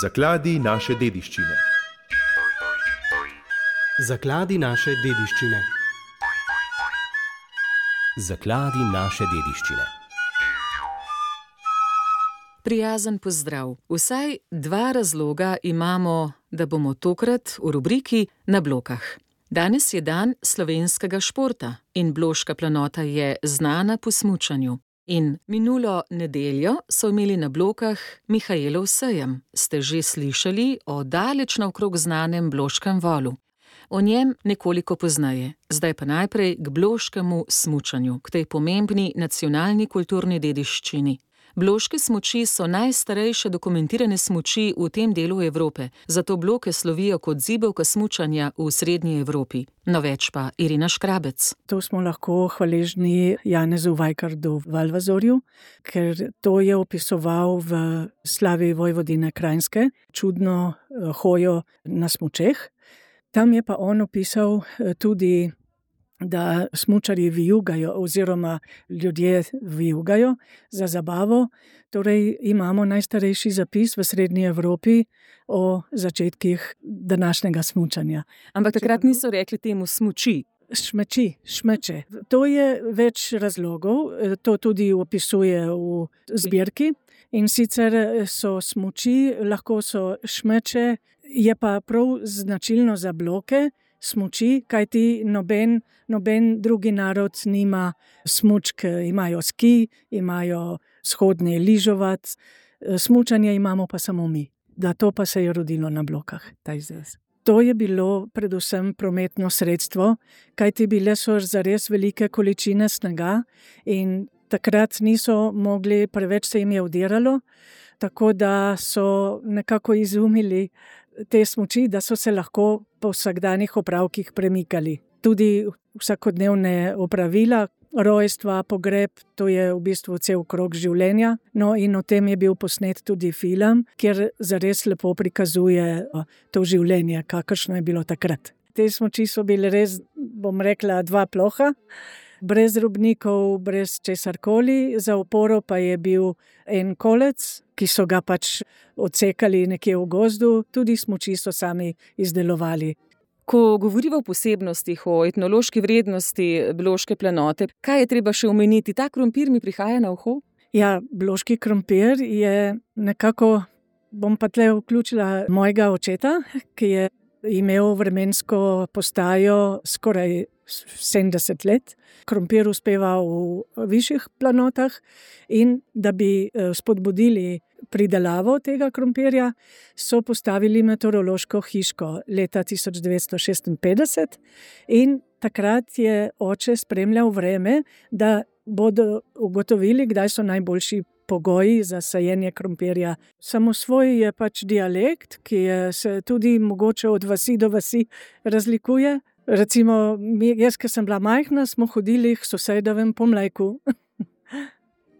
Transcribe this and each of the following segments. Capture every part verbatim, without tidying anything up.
Zakladi naše dediščine. Zakladi naše dediščine. Zakladi naše dediščine. Prijazen pozdrav. Vsaj dva razloga imamo, da bomo tokrat v rubriki Na blokah. Danes je dan slovenskega športa in Bloška planota je znana po smučanju. In minulo nedeljo so imeli na Blokah Mihaelov sejem. Ste že slišali o daleč naokrog znanem Bloškem volu. O njem nekoliko pozneje, zdaj pa najprej k bloškemu smučanju, k tej pomembni nacionalni kulturni dediščini. Bloške smuči so najstarejše dokumentirane smuči v tem delu Evrope, zato Bloke slovijo kot zibelka smučanja v srednji Evropi. No več pa Irina Škrabec. To smo lahko hvaležni Janezu Vajkardu Valvazorju, ker to je opisoval v slavi Vojvodine Krajinske, čudno hojo na smučeh. Tam je pa on opisal tudi, da smučarji vijugajo oziroma ljudje vijugajo za zabavo. Torej imamo najstarejši zapis v srednji Evropi o začetkih današnjega smučanja. Ampak takrat niso rekli temu smuči. Šmeči, šmeče. To je več razlogov, to tudi opisuje v zbirki. In sicer so smuči, lahko so šmeče, je pa prav značilno za Bloke smuči, kajti noben, noben drugi narod nima smučk, imajo ski, imajo shodne ližovat, smučanje imamo pa samo mi. Da to pa se je rodilo na Blokah, ta izraz. To je bilo predvsem prometno sredstvo, kajti bile so zares velike količine snega in takrat niso mogli, preveč se jim je udiralo, tako da so nekako izumili te smuči, da so se lahko po vsakdanjih opravkih premikali. Tudi vsakodnevne opravila, rojstva, pogreb, to je v bistvu cel krog življenja. No in o tem je bil posnet tudi film, kjer zares lepo prikazuje to življenje, kakršno je bilo takrat. Te smuči so bile res, bom rekla, dva ploha, brez robnikov, brez česarkoli, za oporo pa je bil en kolec, ki so ga pač odsekali nekje v gozdu, tudi smuči so sami izdelovali. Ko govorimo o posebnostih, o etnološki vrednosti Bloške planote, kaj je treba še omeniti? Ta krompir mi prihaja na uho? Ja, Bloški krompir je nekako, bom pa tle vključila mojega očeta, ki je imel vremensko postajo skoraj sedemdeset let. Krompir uspeva v višjih planotah in da bi spodbudili pridelavo tega krompirja, so postavili meteorološko hiško leta tisoč devetsto šestinpetdeset in takrat je oče spremljal vreme, da bodo ugotovili, kdaj so najboljši pogoji za sajenje krompirja. Samosvoj je pač dialekt, ki je se tudi mogoče od vasi do vasi razlikuje. Recimo, jaz, ki sem bila majhna, smo hodili k sosedovem po mlejku,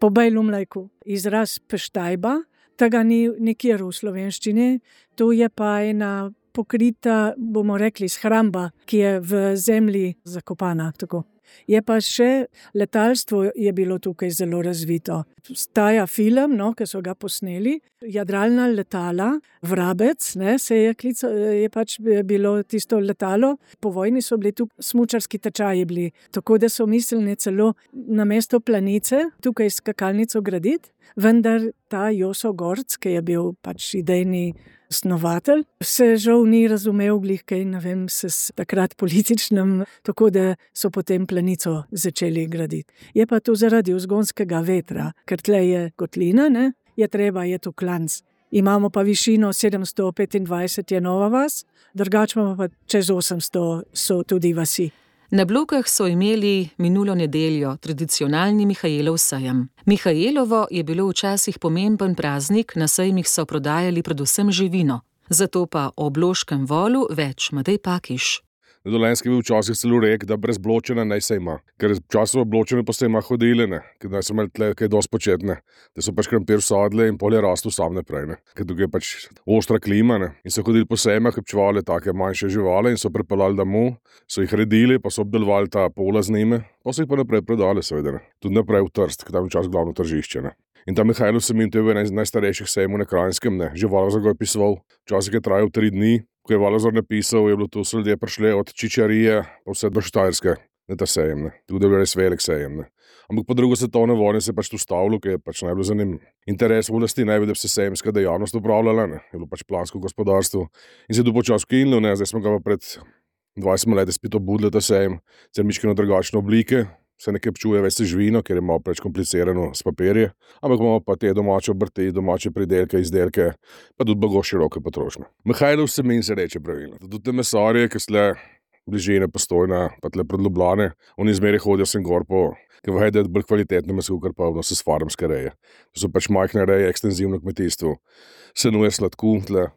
po bejlu mlejku. Izraz peštajba, tega ni nikjer v slovenščini, to je pa ena pokrita, bomo rekli, shramba, ki je v zemlji zakopana, tako. Je pa še letalstvo je bilo tukaj zelo razvito. Staja film, no, ki so ga posneli, jadralna letala, Vrabec, ne, se je klico, je pač bilo tisto letalo. Po vojni so bili tu smučarski tečaji bili, tako da so mislili celo na mesto Planice, tukaj skakalnico graditi, vendar ta Joso Gorc, ki je bil pač idejni snovatelj, se žal ni razumel glih kaj, ne vem, se s takrat političnem, tako da so potem Planico začeli graditi. Je pa to zaradi vzgonskega vetra, ker tle je kotlina, ne, je treba, je tu klanc. Imamo pa višino sedemsto petindvajset je Nova vas, drugače pa čez osemsto so tudi vasi. Na Blokah so imeli minulo nedeljo tradicionalni Mihaelov sejem. Mihaelovo je bilo včasih pomemben praznik, na sejmih so prodajali predvsem živino. Zato pa o bloškem volu več Matej Pakiš. Na Dolenjskem je bil včasih celo rek, da brez bločena naj se ima. Ker včasih bločene pa se ima hodili, ne, ker naj so imeli tle kaj dosti početne, da so pač krompir sadili in polje rastu sam naprej, ne. Ker tukaj je pač ostra klima, ne, in so hodili po sejmah, kupčevali take manjše živali in so pripeljali domov, so jih redili, pa so obdelovali ta pola z njimi, pa so jih pa naprej prodali, seveda, ne. Tudi naprej v Trst, ker tam je včasih glavno tržišče, ne. In ta Mihajlov semen, to je bil eden najstarejših sejmov na Kranjskem, ne, že Valazar ga je pisoval, včasih je trajal tri dni. Ko je Valazar napisal, je bilo to, so ljudje prišli od Čičarije pa vse do Štajerske na ta sejem, ne. Tudi je bil res velik sejem, ne. Ampak po drugo svetovne vojne se je pač tu stavilo, ker je pač najbolj zanimiv interes oblasti, ne, da bi se sejemska dejavnost upravljala, ne. Je bilo pač plansko gospodarstvo in se je tu počasi ukinilo, ne, zdaj smo ga pa pred dvajsetimi leti spet obudili ta sejem, sicer mičkeno drugačne oblike, se nekaj pčuje več živino, ker je malo preč komplicirano s papirje, ampak imamo pa te domače obrti, domače pridelke, izdelke, pa tudi blago široke potrošnje. Mihajlov semen se reče pravilno. Tudi te mesarje, ki sle bližine Postojna, pa tle pred Ljubljane, oni zmeraj hodijo sem gor po, ker vaje, da je bolj kvalitetno meso, kar pa vno se s farmske reje. To so pač majhne reje, ekstenzivno kmetijstvo. Senuje sladku, tle,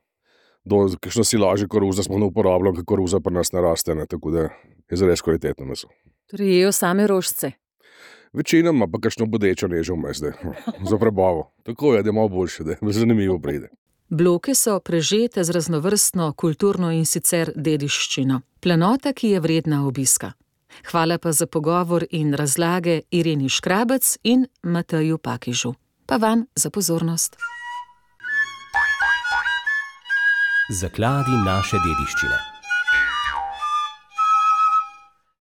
do kakšno silaže koruza smo ne uporabljali, ker koruza pri nas ne raste, ne, tako da je zares kvalitetno meso. Torej jejo same rožce. Večinoma pa kakšno bodečo nežo vmes, da za prebavo. Tako je, da je malo boljše, da je zanimivo pride. Bloke so prežete z raznovrstno kulturno in sicer dediščino. Planota, ki je vredna obiska. Hvala pa za pogovor in razlage Ireni Škrabec in Mateju Pakižu. Pa vam za pozornost. Zakladi naše dediščine.